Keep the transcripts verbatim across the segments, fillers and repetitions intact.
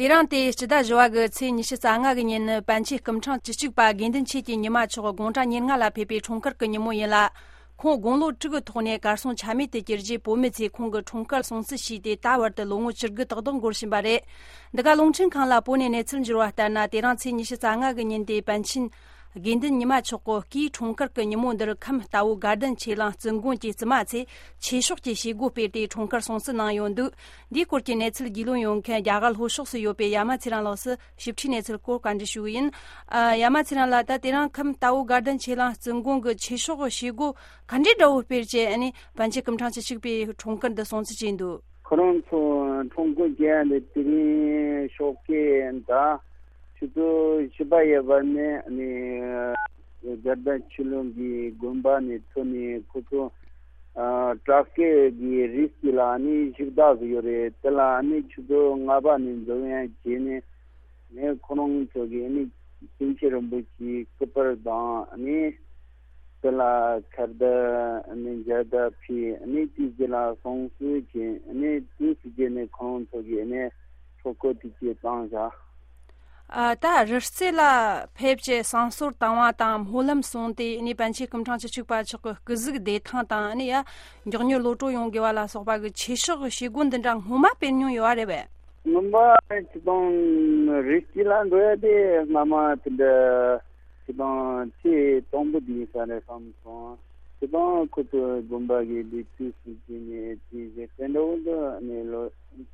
དེ་རིང་སྟེ་སྤྱི་ཟླ་བཞི་བ་གི་ཚེས་ཉི་ཤུ་རྩ་ལྔ་གི་ཉིན་ནི་པཎ་ཆེན་སྐུ་ཕྲེང་བཅུ་གཅིག་པ་དགེ་འདུན་ཆོས་ཀྱི་ཉི་མ་མཆོག་དགུང་གྲངས་ཉེར་ལྔ་ལ་ཕེབས་པའི་འཁྲུངས་སྐར་གྱི་ཉིན་མོ་ཡིན་ལ། ཁོང་དགུང་ལོ་དྲུག་གི་ཐོག་ནས་གར་སོང་ཆ་མེད་དུ་གྱུར་རྗེས། བོད་མི་ཚོས་ཁོང་གི་འཁྲུངས་སྐར་སྲུང་བརྩི་བྱས་ཏེ། ད་བར་དུ་ལོ་ངོ་བཅུ་དགུ་ཏག་ཏག་འགོར་བཞིན་པ་རེད། འདི་ག་རླུང་འཕྲིན་ཁང་ལ་བོད་ནས་གནས་ཚུལ་འབྱོར་བ་ལྟར་ན། དེ་རིང་ཚེས་ཉི་ཤུ་རྩ་ལྔ་གི་ཉིན་དེ་པཎ་ཆེན་དགེ་འདུན་ཉི་མ་མཆོག་གི་སྐུའི་འཁྲུངས་སྐར་གྱི་ཉིན་མོ་འདིར་ཁམས་རྟ་བོ་དགའ་ལྡན་ཆོས་གླིང་བཙུན་དགོན་གྱི་བཙུན་མ་ཚོས་ཆོས་ཕྱོགས་ཀྱི་བྱེད་སྒོ་སྤེལ་ཏེ་འཁྲུངས་སྐར་སྲུང་བརྩི་གནང་ཡོད་འདུག་འདིའི་སྐོར་གྱི་གནས་ཚུལ་རྒྱུས་ལོན་ཡོང་མཁན་རྒྱ་གར་ལྷོ་ཕྱོགས་སུ་ཡོད་པའི་ཡ་མ་ཚེ་རིང་ལགས་སུ་ཞིབ་ཕྲའི་གནས་ཚུལ་སྐོར་བཀའ་འདྲི་ཞུ་གི་ཡིན། ཨ། ཡ་མ་ཚེ་རིང་ལགས། ད་དེ་རིང་ཁམས་རྟ་བོ་དགའ་ལྡན་ཆོས་གླིང་བཙུན་དགོན་གྱི་ཆོས་ཕྱོགས་བྱེད་སྒོ་ག་འདྲའི་འདྲ་བོ་སྤེལ་བྱས། ཨ་ནི་པཎ་ཆེན་སྐུ་ཕྲེང་བཅུ་གཅིག་པའི་འཁྲུངས་སྐར་འདི་སྲུང་བརྩི་བྱས་འདུག་ཁོ་རང་ཚོ་འཁྲུངས་སྐར་བྱེད་ཡ་འདི་དེ་རིང་ཞོགས་ཀས་ད་ཆུ་ཚོད་བཞི་པ་ཡས་པ་ནས་ཨ་ནི་དགའ་ལྡན་ཆོས་གླིང་གི་དགོན་པ་ནས་ཐོན་ནས། ཁོ་ཚོ་ཨ་བྲག་སྐས་ཀྱི་རི་དཀྱིལ་ལ་ཨ་ནི་བཞུགས་གདན་བཟོས་ཡོད་རེད། དེ་ལ་ཨ་ནི་ཆུ་ཚོད་ལྔ་པ་ནས་འཛོམས་ཡ་བྱས་ནས། ནས་ཁོ་རང་ཚོ་གིས་ཨ་ནི་པཎ་ཆེན་རིན་པོ་ཆེའི་སྐུ་པར་དང་། ཨ་ནི་དེ་ལ་ཁ་བརྡ། ཨ་ནི་མཇལ་དར་ཕུལ། ཨ་ནི་དེའི་རྗེས་ལ་བསང་གསོལ་བྱས། ཨ་ནི་དེའི་རྗེས་ནས་ཁོ་རང་ཚོ་གིས་ཨ་ནི་ཆོ་ག་དེ་ཚོ་བཏང་བཞག་ཨ། ད་རི་རྩེ་ལ་ཕེབས་བྱས་བསང་གསོལ་བཏང་བ་དང་སྨོན་ལམ་གསུངས་ཏེ། ཨ་ནི་པཎ་ཆེན་སྐུ་ཕྲེང་བཅུ་གཅིག་པ་མཆོག་གི་སྐུ་གཟུགས་བདེ་ཐང་དང་། ཨ་ནི་ཡ་མགྱོགས་མྱུར་གློད་གྲོལ་ཡོང་དགོས་པ་ལ་སོགས་པ་གི་ཆོས་ཕྱོགས་བྱེད་སྒོ་འདི་འདྲ་སྔོན་མ་སྤེལ་མྱོང་ཡོད་པ་རེད་པས། སྔོན་མ་སྤྱིར་བཏང་རི་དཀྱིལ་ལ་འགྲོ་ཡ་དེ་སྔ་མ་དེ་འདྲ་སྤྱིར་བཏང་ཚེ་དང་པོ་དེ་ཡིན་ས་རེད་བསམ་སོང་། སྤྱིར་བཏང་ཁོ་ཚོ་དགོན་པ་གི་ལས་དུས་སུ་བྱས་ནས་དེ་བཞིན་དེ་འདྲ་བོ་འདི་ནས་ལོ་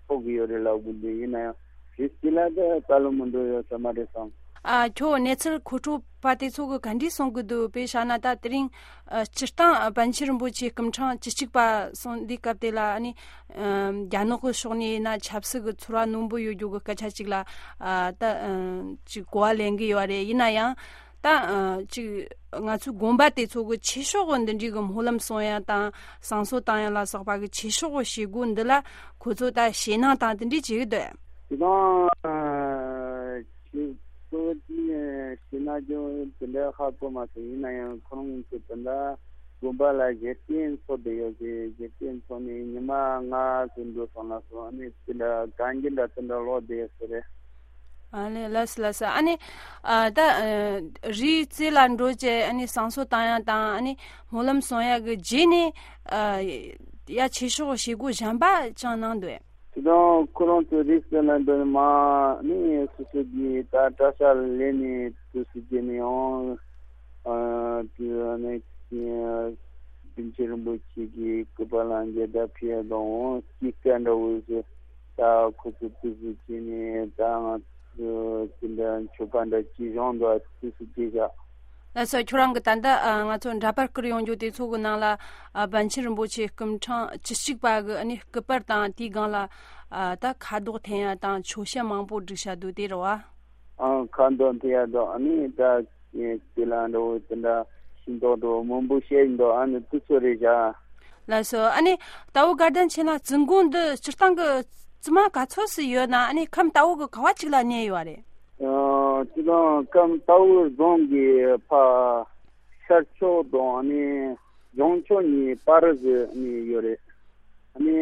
ཐོག་གི་ཡོད་རེད་ལབ་དགོས་འདུག་ཡིན་ན་ཡང་རི་དཀྱིལ་ལ་དེ་ད་ལོ་མི་འགྲོ་ཡོད་ས་མ་རེད་བསམ། ཨ། ཁྱོད་གནས་ཚུལ་མཁོ་སྤྲོད་པ་དེ་ཚོ་གི་ག་འདྲས་གསུང་གི་འདུག་དཔེ་བཞག་ན་ད་དེ་རིང་ཨ། སྤྱིར་བཏང་ཨ། པཎ་ཆེན་རིན་པོ་ཆེ་སྐུ་ཕྲེང་བཅུ་གཅིག་པ་སོང་དུས་སྐབས་དེ་ལ། ཨ་ནི་ཨ། རྒྱ་ནག་གི་ཕྱོགས་ནས་ཡིན་ན་ཆབ་སྲིད་ཀྱི་ཚོར་བ་རྣོན་པོ་ཡོད་རྒྱུ་གི་སྐད་ཆ་ཅིག་ལ། ཨ། ད་ཨ། ཅིག་གོ་བ་ལེན་གི་ཡོད་རེད། ཡིན་ན་ཡང་ད་ཨ། ཅིག་ང་ཚོའི་དགོན་པ་དེ་ཚོ་གི་ཆོས་ཕྱོགས་འདི་འདྲའི་གི་སྨོན་ལམ་གསུང་ཡ་དང་བསང་གསོལ་བཏང་ཡ་ལ་སོགས་པ་གི་ཆོས་ཕྱོགས་གི་བྱེད་སྒོ་འདི་ལ་ཁོ་ཚོ་ད་ཞེད་སྣང་དང་དེ་འདྲས་བྱེད་གི་འདུག་དེ་དང་ཨ། ཆོས་ཚོགས་ཀྱི་ཞེད་སྣང་ཅུང་དེ་འདྲ་ཧ་གོ་མ་སོང་། ཡིན་ན་ཡང་ཁོ་རང་ཚོ་དེ་འདྲ་དགོན་པ་ལ་བཞེས་སྟོན་ཚོགས་བསྡད་ཡོད་ཟེར། བཞེས་སྟོན་ཚོགས་ནས་ཉི་མ་ལྔ་ཙམ་འགྲོ་སོང་ལ་སོང་། ཨ་ནི་དེ་འདྲ་གན་རྒྱ་འདྲ་དེ་འདྲ་ལོག་བསྡད་ཡོད་ས་རེད། ཨ་ནི་ལགས་སོ་ལགས་སོ། ཨ་ནི་ཨ། ད་ཨ། རི་རྩེ་ལ་འགྲོ་བྱས་ཨ་ནི་བསང་གསོལ་བཏང་ཡ་དང་ཨ་ནི་སྨོན་ལམ་གསུང་ཡ་གི་རྗེས་ནས་ཨ། ཡ་ཆོས་ཕྱོགས་བྱེད་སྒོ་གཞན་པ་ཅང་གནང་འདུག་དེ་དང་ཁོ་རང་ཚོ་རི་རྩེ་ལ་འགྲོ་ནས་མར་ནི་སོ་སོ་གི་ད་གྲྭ་ས་ལ་སླེབས་ནས་དུས་སུ་བྱས་ནས་ཡང་ཨ། དེ་ནས་པཎ་ཆེན་རིན་པོ་ཆེ་གི་སྐུ་པར་ལ་མཇལ་དར་ཕུལ་ཡ་དང་། འོང་སྐྱིད་སྐད་འདྲ་བོ་ཞིག་ད་ཁོ་ཚོ་དུས་སུ་བྱས་ནས་ད་ང་ཚོ་དེ་འདྲ་མཆོད་པ་འདྲ་ཅིག་བཞེངས་འདུག་དུས་སུ་བྱས་བཞག་ལགས་སོ། ཁྱོད་རང་གི་ད་ལྟ་ཨ། ང་ཚོ་འདྲ་པར་བསྐུར་ཡོང་རྒྱུ་དེ་ཚོ་གི་ནང་ལ་ཨ། པཎ་ཆེན་རིན་པོ་ཆེ་སྐུ་ཕྲེང་བཅུ་གཅིག་པ་གི་ཨ་ནི་སྐུ་པར་དང་། དེའི་སྒང་ལ་ཨ། ད་ཁ་དོག་འཐེན་ཡ་དང་ཆོས་ཞལ་མང་པོ་བསྒྲིགས་བཞག་འདུག་དེ་རེད་བ། ཨ། ཁ་དོག་འཐེན་ཡ་དང་ཨ་ནི་ད་དེ་ལ་འདྲ་བོ་དེ་འདྲ་ཤིང་ཏོག་འདྲ་བོ་མང་པོ་བཤད་འདུག་ཨ་ནི་དེ་ཚོ་རེད་བཞག་ལགས་སོ། ཨ་ནི་རྟ་བོ་དགའ་ལྡན་ཆོས་གླིང་བཙུན་དགོན་འདི་སྤྱིར་བཏང་གི་བཙུན་མ་ག་ཚོད་ཙམ་ཡོད་ན། ཨ་ནི་ཁམས་རྟ་བོ་གི་ག་བ་གཅིག་ལ་གནས་ཡོད་རེད། ཨ། སྤྱིར་བཏང་ཁམས་རྟ་བོ་རྫོང་གི་ཕ་ཤར་ཕྱོགས་དང་ཨ་ནི་བྱང་ཕྱོགས་གཉིས་བར་ཟེར་ནས་ཡོད་རེད། ཨ་ནི་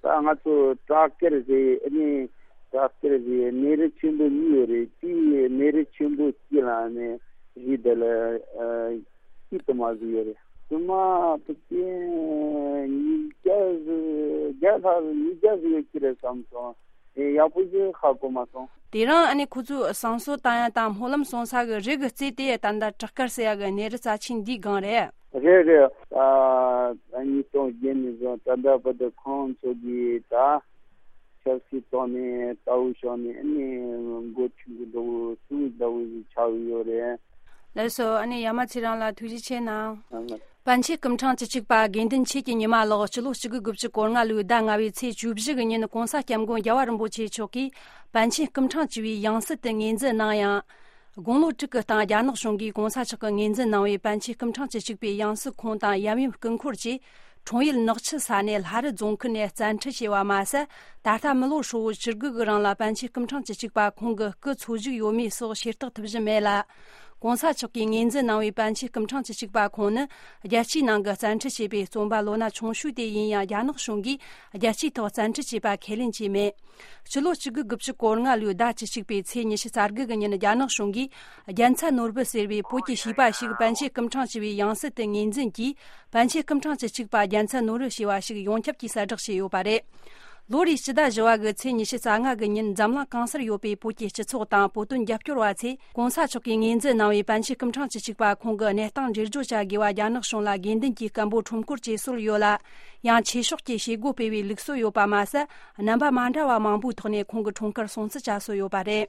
ད་ང་ཚོ་བྲག་དཀར་ཟེར། ཨ་ནི་བྲག་དཀར་ཟེར་གནས་རི་ཆེན་པོ་གཉིས་ཡོད་རེད། དེའི་གནས་རི་ཆེན་པོ་གཅིག་ལ་ཨ་ནི་རི་དེ་ལ་ཨ། སྐྱིད་དུ་མ་ཟིག་ཡོད་རེད། བཙུན་མ་ཕལ་ཆེར་ཉིས་བརྒྱ་ཟིག་བརྒྱ་ལྷག་ཉིས་བརྒྱ་ཟིག་ཡོད་ཀྱི་རེད་བསམ་སོང་། ཨེ། ཡག་པོ་ཞིག་ཧ་གོ་མ་སོང་། དེ་རིང་ཨ་ནི་ཁོ་ཚོས་བསང་གསོལ་བཏང་ཡ་དང་སྨོན་ལམ་གསུང་ས་གི་རི་གི་རྩེ་དེ་ད་ལྟ་བྲག་དཀར་ཟེར་ཡ་གི་གནས་རི་རྩ་ཆེན་འདིའི་སྒང་རེད། རེད་རེད། ཨ། ཉིས་སྟོང་བརྒྱད་ནས་བཟུང་ད་ལྟ་བར་དུ་ཁོང་ཚོ་གིས་ད་ཆབ་སྲིད་ཐོག་ནས་ལྟ་བུ་ཕྱོགས་ནས་ཨ་ནི་འགོ་ཁྲིད་གི་འགྲོ་བའི་སྲིད་ལྟ་བུ་ཞིག་ཆགས་ཡོད་རེད། ལགས་སོ། ཨ་ནི་ཡ་མ་ཚེ་རིང་ལགས་ཐུགས་རྗེ་ཆེ་གནང་། ཨ། ལགས། པཎ་ཆེན་སྐུ་ཕྲེང་བཅུ་གཅིག་པ་དགེ་འདུན་ཆོས་ཀྱི་ཉི་མ་ལགས་སྤྱི་ལོ་གཅིག་དགུ་དགུ་བཅུ་གོ་ལྔ་ལོའི་ཟླ་ལྔ་བའི་ཚེས་བཅུ་བཞི་གི་ཉིན་༸གོང་ས་༸སྐྱབས་མགོན་རྒྱལ་བ་རིན་པོ་ཆེ་མཆོག་གིས་པཎ་ཆེན་སྐུ་ཕྲེང་བཅུ་པའི་ཡང་སྲིད་དུ་ངོས་འཛིན་གནང་ཡང་། དགུང་ལོ་དྲུག་གི་སྟེང་རྒྱ་ནག་གཞུང་གིས་༸གོང་ས་མཆོག་གི་ངོས་འཛིན་གནང་བའི་པཎ་ཆེན་སྐུ་ཕྲེང་བཅུ་གཅིག་པའི་ཡང་སྲིད་ཁོངས་དང་ཡབ་ཡུམ་སྐུ་འཁོར་བཅས་འཁྲུངས་ཡུལ་ནག་ཆུ་ས་གནས་ལྷ་རི་རྫོང་ཁུལ་ནས་བཙན་ཁྲིད་བྱས་པ་མ་ཟད། ད་ལྟ་མི་ལོ་ཧྲིལ་བོ་བཅུ་དགུ་གི་རིང་ལ་པཎ་ཆེན་སྐུ་ཕྲེང་བཅུ་གཅིག་པ་ཁོང་གི་སྐུ་འཚོ་བཞུགས་ཡོད་མེད་སོགས་ཤེས་རྟོགས་ཐུབ་བཞིན་མེད་ལ། གོང་ས་མཆོག་གིས་ངོས་འཛིན་གནང་བའི་པཎ་ཆེན་སྐུ་ཕྲེང་བཅུ་གཅིག་པ་ཁོང་ནི་རྒྱལ་སྤྱིའི་ནང་གི་བཙན་ཁྲིད་བྱས་པའི་རྩོམ་པ་ལོ་ན་ཆུང་ཤོས་དེ་ཡིན་ཡང་རྒྱ་ནག་གཞུང་གིས་རྒྱལ་སྤྱིའི་ཐོག་བཙན་ཁྲིད་བྱས་པ་ཁས་ལེན་བྱས་མེད། ཕྱི་ལོ་གཅིག་དགུ་དགུ་བཅུ་གོ་ལྔ་ལོའི་ཟླ་བཅུ་གཅིག་པའི་ཚེས་ཉི་ཤུ་རྩ་དགུ་གི་ཉིན་རྒྱ་ནག་གཞུང་གིས་རྒྱལ་མཚན་ནོར་བུ་ཟེར་བའི་བོད་ཀྱི་བྱིས་པ་ཞིག་པཎ་ཆེན་སྐུ་ཕྲེང་བཅུ་བའི་ཡང་སྲིད་དུ་ངོས་འཛིན་གྱིས་པཎ་ཆེན་སྐུ་ཕྲེང་བཅུ་གཅིག་པ་རྒྱལ་མཚན་ནོར་བུ་ཞེས་པ་ཞིག་ཡོངས་ཁྱབ་ཀྱིས་གསལ་བསྒྲགས་བྱས་ཡོད་པ་རེད། ལོ་རེའི་སྤྱི་ཟླ་བཞི་བ་གི་ཚེས་ཉི་ཤུ་རྩ་ལྔ་གི་ཉིན་འཛམ་གླིང་གང་སར་ཡོད་པའི་བོད་ཀྱི་སྤྱི་ཚོགས་དང་བོད་དོན་རྒྱབ་སྐྱོར་བ་ཚོས་གོང་ས་མཆོག་གིས་ངོས་འཛིན་གནང་བའི་པཎ་ཆེན་སྐུ་ཕྲེང་བཅུ་གཅིག་པ་ཁོང་གི་གནས་སྟངས་འགྲེལ་བརྗོད་བྱ་དགོས་པ་རྒྱ་ནག་གཞུང་ལ་དགོས་འདུན་གྱི་སྐད་འབོད་ཁྲོམ་སྐོར་བཅས་སྲོལ་ཡོད་ལ། ཡང་ཆོས་ཕྱོགས་ཀྱི་བྱེད་སྒོ་སྤེལ་བའི་ལུགས་སྲོལ་ཡོད་པ་མ་ཟད། རྣམ་པ་མ་འདྲ་བ་མང་པོའི་ཐོག་ནས་ཁོང་གི་འཁྲུངས་སྐར་སྲུང་བརྩི་བྱ་སྲོལ་ཡོད་པ་རེད།